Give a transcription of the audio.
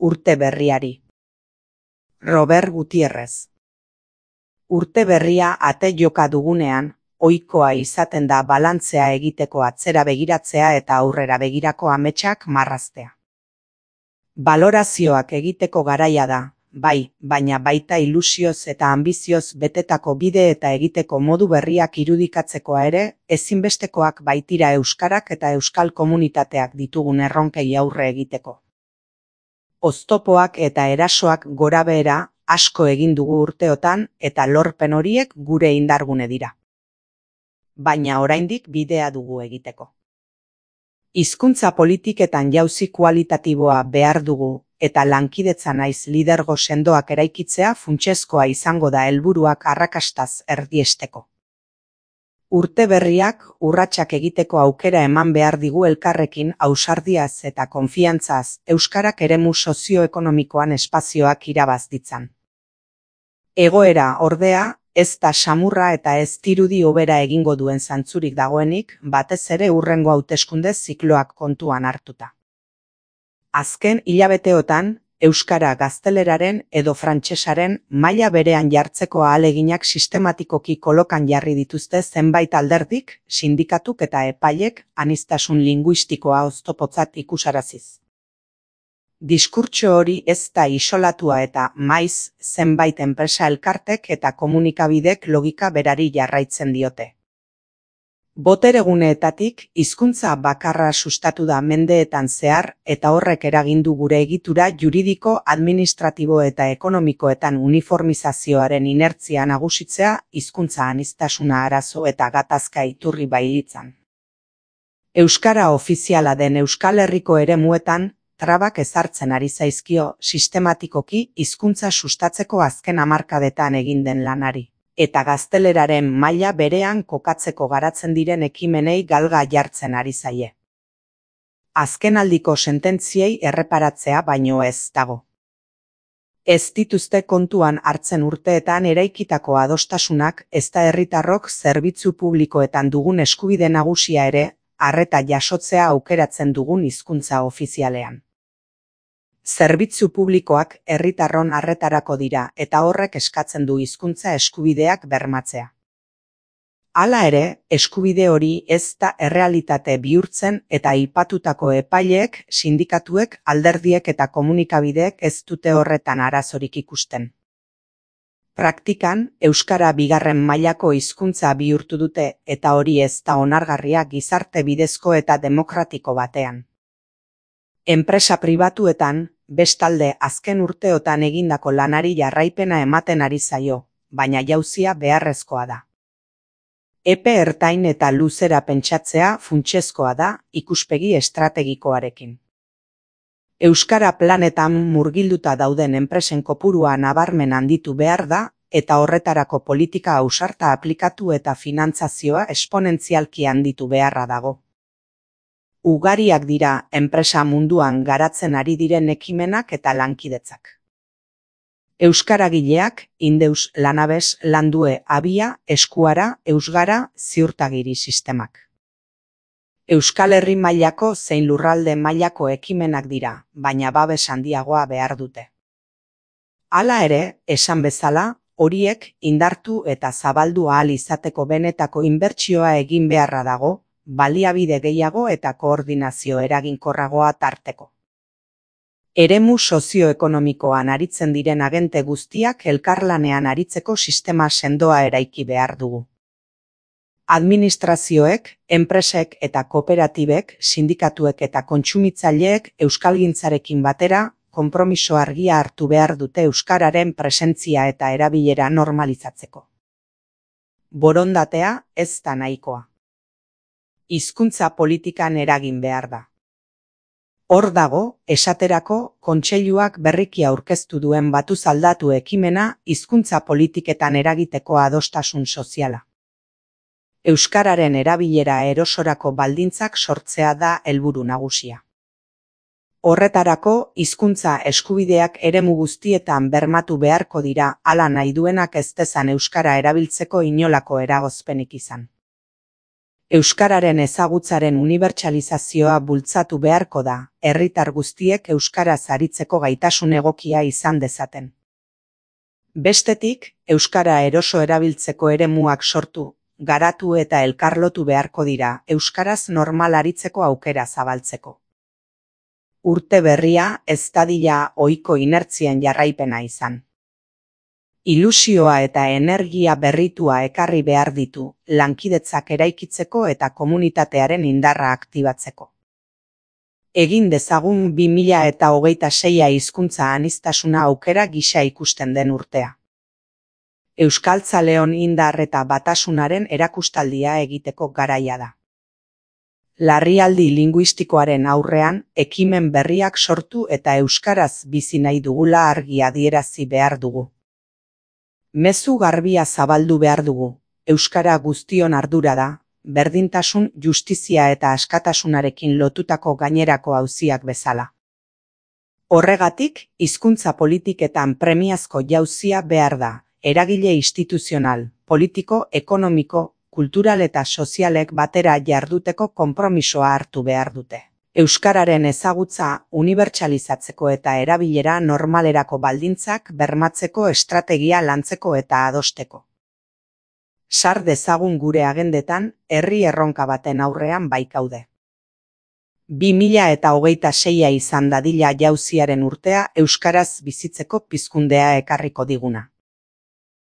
Urte berriari. Robert Gutierrez. Urte berria ate joka dugunean, ohikoa izaten da balantzea egiteko atzera begiratzea eta aurrera begirako ametsak marraztea. Balorazioak egiteko garaia da, bai, baina baita ilusioz eta anbizioz betetako bide eta egiteko modu berriak irudikatzekoa ere, ezinbestekoak baitira euskarak eta euskal komunitateak ditugun erronkei aurre egiteko. Oztopoak eta erasoak gorabehera asko egin dugu urteotan eta lorpen horiek gure indargune dira. Baina oraindik bidea dugu egiteko. Hizkuntza politiketan jauzi kualitatiboa behar dugu eta lankidetza naiz lidergo sendoak eraikitzea funtsezkoa izango da helburuak arrakastaz erdiesteko. Urte berriak urratsak egiteko aukera eman behar digu elkarrekin ausardiaz eta konfiantzaz euskarak eremu sozioekonomikoan espazioak irabaz ditzan. Egoera, ordea, ez da samurra eta ez dirudi hobera egingo duen zantzurik dagoenik, batez ere hurrengo hauteskunde zikloak kontuan hartuta. Azken hilabeteotan, euskara gazteleraren edo frantsesaren maila berean jartzeko ahaleginak sistematikoki kolokan jarri dituzte zenbait alderdik, sindikatuk eta epailek aniztasun linguistikoa oztopotzat ikusaraziz. Diskurtso hori ez da isolatua eta maiz zenbait enpresa elkartek eta komunikabidek logika berari jarraitzen diote. Botereguneetatik hizkuntza bakarra sustatu da mendeetan zehar eta horrek eragindu gure egitura juridiko, administratibo eta ekonomikoetan uniformizazioaren inertzia nagusitzea hizkuntza aniztasuna arazo eta gatazka iturri bailitzan. Euskara ofiziala den Euskal Herriko eremuetan trabak ezartzen ari zaizkio sistematikoki hizkuntza sustatzeko azken hamarkadetan egin den lanari. Eta gazteleraren maila berean kokatzeko garatzen diren ekimenei galga jartzen ari zaie. Azkenaldiko sententziei erreparatzea baino ez dago. Ez dituzte kontuan hartzen urteetan eraikitako adostasunak ezta herritarrok zerbitzu publikoetan dugun eskubide nagusia ere, arreta jasotzea aukeratzen dugun hizkuntza ofizialean. Zerbitzu publikoak herritarron arretarako dira eta horrek eskatzen du hizkuntza eskubideak bermatzea. Hala ere, eskubide hori ez da errealitate bihurtzen eta aipatutako epaileek, sindikatuek, alderdiek eta komunikabideek ez dute horretan arazorik ikusten. Praktikan, euskara bigarren mailako hizkuntza bihurtu dute eta hori ez da onargarria gizarte bidezko eta demokratiko batean. Enpresa pribatuetan, bestalde azken urteotan egindako lanari jarraipena ematen ari zaio, baina jauzia beharrezkoa da. Epe ertain eta luzera pentsatzea funtsezkoa da ikuspegi estrategikoarekin. Euskara planetan murgilduta dauden enpresen kopurua nabarmen handitu behar da eta horretarako politika ausarta aplikatu eta finantzazioa esponentzialki handitu beharra dago. Ugariak dira enpresa munduan garatzen ari diren ekimenak eta lankidetzak. Euskaragileak, Indeus, Lanabes, Landue, Abia, Eskuara, Eusgara, Ziurtagiri sistemak. Euskal Herri mailako zein lurralde mailako ekimenak dira, baina babes handiagoa behar dute. Hala ere, esan bezala, horiek indartu eta zabaldu ahal izateko benetako inbertsioa egin beharra dago, baliabide gehiago eta koordinazio eraginkorragoa tarteko. Eremu sozioekonomikoan aritzen diren agente guztiak elkarlanean aritzeko sistema sendoa eraiki behar dugu. Administrazioek, enpresek eta kooperatibek, sindikatuek eta kontsumitzaileek euskalgintzarekin batera konpromiso argia hartu behar dute euskararen presentzia eta erabilera normalizatzeko. Borondatea ez da nahikoa. Hizkuntza politikan eragin behar da. Hor dago, esaterako, kontseiluak berriki aurkeztu duen batuz aldatu ekimena hizkuntza politiketan eragiteko adostasun soziala. Euskararen erabilera erosorako baldintzak sortzea da helburu nagusia. Horretarako, hizkuntza eskubideak eremu guztietan bermatu beharko dira hala nahi duenak ez dezan euskara erabiltzeko inolako eragozpenik izan. Euskararen ezagutzaren unibertsalizazioa bultzatu beharko da, herritar guztiek euskaraz aritzeko gaitasun egokia izan dezaten. Bestetik, euskara eroso erabiltzeko eremuak sortu, garatu eta elkarlotu beharko dira, euskaraz normal aritzeko aukera zabaltzeko. Urte berria ez dadila ohiko inertzien jarraipena izan. Ilusioa eta energia berritua ekarri behar ditu, lankidetzak eraikitzeko eta komunitatearen indarra aktibatzeko. Egin dezagun 2026 hizkuntza aniztasuna aukera gisa ikusten den urtea. Euskaltzaleon indar eta batasunaren erakustaldia egiteko garaia da. Larrialdi linguistikoaren aurrean, ekimen berriak sortu eta euskaraz bizi nahi dugula argi adierazi behar dugu. Mezu garbia zabaldu behar dugu, euskara guztion ardura da, berdintasun, justizia eta askatasunarekin lotutako gainerako auziak bezala. Horregatik, hizkuntza politiketan premiazko jauzia behar da, eragile instituzional, politiko, ekonomiko, kultural eta sozialek batera jarduteko konpromisoa hartu behar dute. Euskararen ezagutza unibertsalizatzeko eta erabilera normalerako baldintzak bermatzeko estrategia lantzeko eta adosteko. Sar dezagun gure agendetan, herri erronka baten aurrean baikaude. 2026 izan dadila jauziaren urtea euskaraz bizitzeko pizkundea ekarriko diguna.